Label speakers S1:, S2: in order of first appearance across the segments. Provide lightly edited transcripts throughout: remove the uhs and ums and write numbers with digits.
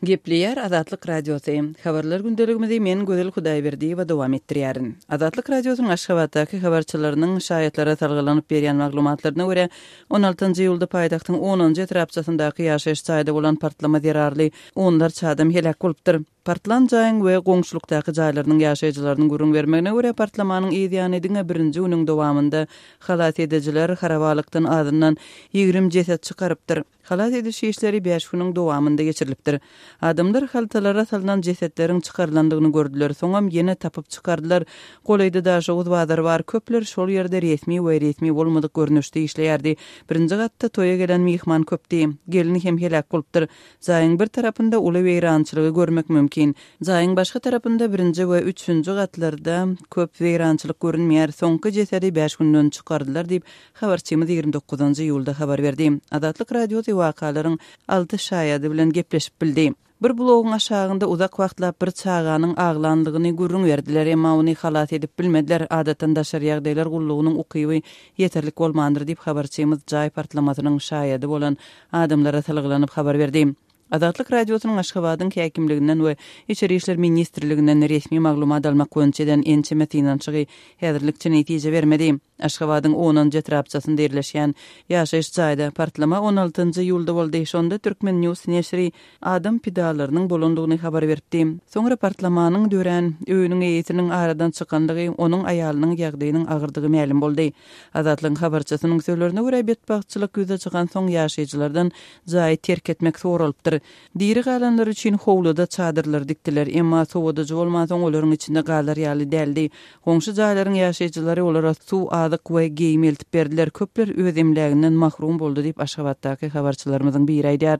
S1: Gepleýär Azatlyk Radiosy. Habarlar gündeligimizi men Gözel Hudaýberdiýewa dowam etdirýärin. Azatlyk Radiosynyň Aşgabatdaky habarçylarynyň şaýatlara salgylanyp berýän maglumatlaryna görä, on altynjy iýulda paýtagtyň onunjy etrapçasyndaky ýaşaýyş jaýda bolan partlama zerarly onlarça adam heläk bolupdyr. Partlan jaýyň we goňşulykdaky jaýlarynyň ýaşaýjylarynyň gürrüň bermegine görä, partlamanyň yz ýany diňe birinji günüň dowamynda halas edijiler harabalykdan azyndan 20 jeset çykarypdyr. Halas ediş işleri bäş günüň dowamynda geçirilipdir. Adamlar haltalara salnan jesetleriň çykarylandygyny gördüler, soňam ýene tapyp çykardylar. Golaýda Daşoguz bazary bar, köpler şol ýerde resmi we resmi bolmadyk görnüşde işleýärdi. Birinji gatda toýa gelen myhman köpdi. Gelin hem heläk bolupdyr. Jaýyň bir tarapynda uly weýrançylygy görmek mümkin. Jaýyň başga tarapynda birinji we üçünji gatlarda köp weýrançylyk görünmeýär. Soňky jesedi bäş günden çykardylar diýip, habarçymyz 29 iýulda habar berdi. Azatlyk Radiosy wakalaryň alty şaýady bilen gepleşip bildi. Bir blogyň aşagynda uzak wagtlap bir çaganyň aglanlygyny gürrüň berdiler, emma ony halas edip bilmediler, adatdan daşary ýagdaýlar gullugynyň ukyby ýeterlik bolmandyr diýip, habarçymyz jaý partlamasynyň şaýady bolan adamlara salgylanyp habar berdi. Azatlyk Radiosynyň Aşgabadyň häkimliginden we Içeri işler ministrliginden resmi maglumat almak boýunça eden ençeme synanyşygy häzirlikçe netije bermedi. Aşgabadyň onunjy etrapçasynda ýerleşýän ýaşaýyş jaýda partlama on altynjy iýulda boldy. Şonda Turkmen. News neşiri adam pidalarynyň bolandygyny habar beripdi. Soňra partlamanyň dörän öýüniň eýesiniň aradan çykandygy, onuň aýalynyň ýagdaýynyň agyrdygy mälim boldy. Azatlygyň habarçysynyň sözlerine görä, betbagtçylyk ýüze çykansoň ýaşaýjylardan jaýy terk etmek soralypdyr. Diri galanlar üçin howluda çadyrlar dikdiler, emma sowadyjy bolmansoň olaryň içinde galar ýaly däldi. Goňşy jaýlaryň ýaşaýjylary olara suw, azyk we geýim eltip berdiler. Köpler öz emläginden mahrum boldy diýip, Aşgabatdaky habarçylarymyzyň biri aýdýar.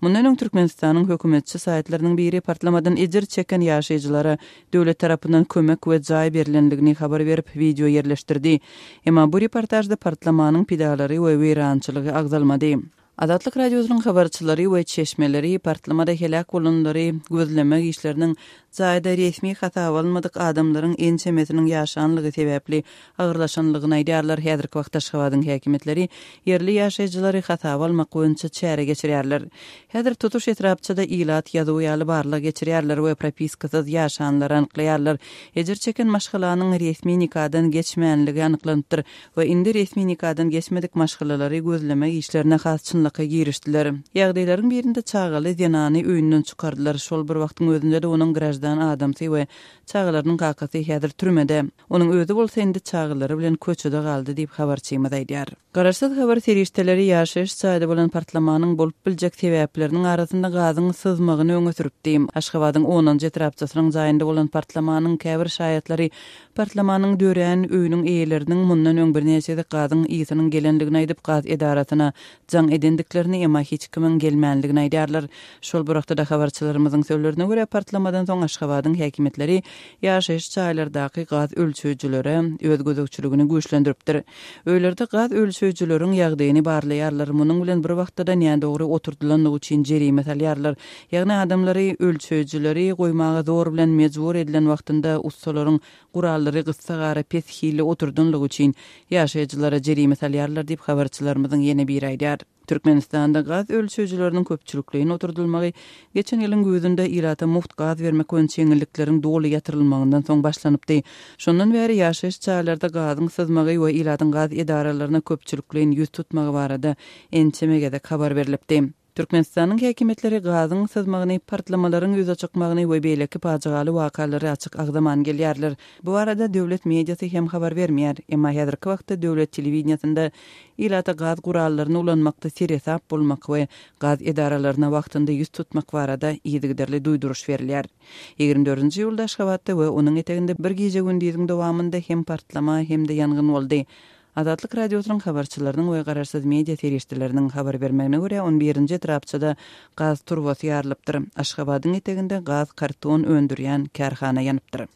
S1: Mundan öň Türkmenistanyň hökümetçi saýtlarynyň biri partlamadan ejir çeken ýaşaýjylara döwlet tarapyndan kömek we jaý berlendigini habar berip, wideo ýerleşdirdi. Emma bu reportažda partlamanyň pidalary we weýrançylygy agzalmady. Azatlyk Radiosynyň habarçylary we çeşmeleri partlamada heläk bolanlary gözlemek işleriniň jaýda resmi hasaba alynmadyk adamlaryň ençemesiniň ýaşanlygy sebäpli agyrlaşanlygyny aýdýarlar. Häzirki wagtda Aşgabadyň häkimiýetleri ýerli ýaşaýjylary hasaba almak boýunça çäre geçirýärler. Häzir tutuş etrapçada ilat ýazuwy ýaly barlag geçirýärler we propiskasyz ýaşanlary anyklaýarlar. Ejir çeken maşgalanyň resmi nikadan geçmänligi anyklanypdyr. We indi resmi nikadan geçmedik maşgalalary gözlemek işlerine has çynlakaý girişdiler. Ýagdaýlaryň birinde çagaly zenany öýünden çykardylar, şol bir wagtyň özünde-de onuň graždan adamsy we çagalarynyň kakasy häzir türmede. Onuň özi bolsa indi çagalary bilen köçede galdy diýip, habarçymyz aýdýar. Garaşsyz habar serişdeleri ýaşaýyş jaýda bolan partlamanyň bolup biljek sebäpleriniň arasynda gazyň syzmagyny öňe sürüpdi. Aşgabadyň onunjy etrapçasynyň jaýynda bolan partlamanyň käbir şaýatlary Partlamanyň dörän öýüniň eýeleriniň mundan öň birnäçe gezek gazyň ysynyň gelendigini aýdyp, gaz edarasyna jaň edendiklerini, emma hiç kimiň gelmändigini aýdýarlar. Şol bir wagtda-da, habarçylarymyzyň sözlerine görä, partlamadan soň Aşgabadyň häkimiýetleri ýaşaýyş jaýlardaky gaz ölçeýjilere öz gözegçiligini güýçlendiripdir. Öýlerde gaz ölçeýjileriň ýagdaýyny barlaýarlar, munuň bilen bir wagtda-da nädogry oturdylandygy üçin jerime salýarlar. Ýagny adamlary ölçeýjileri goýmaga zor bilen mejbur edilen wagtynda ussalaryň gurallary gyssagara pes hilli oturdanlygy üçin ýaşaýjylara jerime salýarlar diýip, habarçylarymyzyň ýene biri aýdýar. Türkmenistanda gaz ölçeýjileriniň köpçülikleýin oturdylmagy geçen ýylyň güýzünde ilata mugt gaz bermek boýunça ýeňillikleriň doly ýatyrylmagyndan soň başlanypdy. Şondan bäri ýaşaýyş jaýlarda gazyň syzmagy we ilatyň gaz edaralaryna köpçülikleýin ýüz tutmagy barada ençeme gezek habar berlipdi. Türkmenistanyň häkimiýetleri gazyň syzmagyny, partlamalaryň ýüze çykmagyny we beýleki pajygaly wakalary açyk agzaman gelýärler. Bu barada döwlet mediasy hem habar bermeýär. Emma häzirki wagtda döwlet telewideniýesinde ilata gaz gurallaryny ulanmakda seresap bolmak we gaz edaralaryna wagtynda ýüz tutmak barada yzygiderli duýduryş berilýär. 24 iýulda Aşgabatda we onuň eteginde bir gije-gündiziň dowamynda hem partlama, hem-de ýangyn boldy. Azatlyk Radiosynyň habarçylarynyň we garaşsyz media serişdeleriniň habar bermegine görä, on birinji etrapçada gaz turbasy ýarylypdyr. Aşgabadyň eteginde gaz karton öndürýän kärhana ýanypdyr.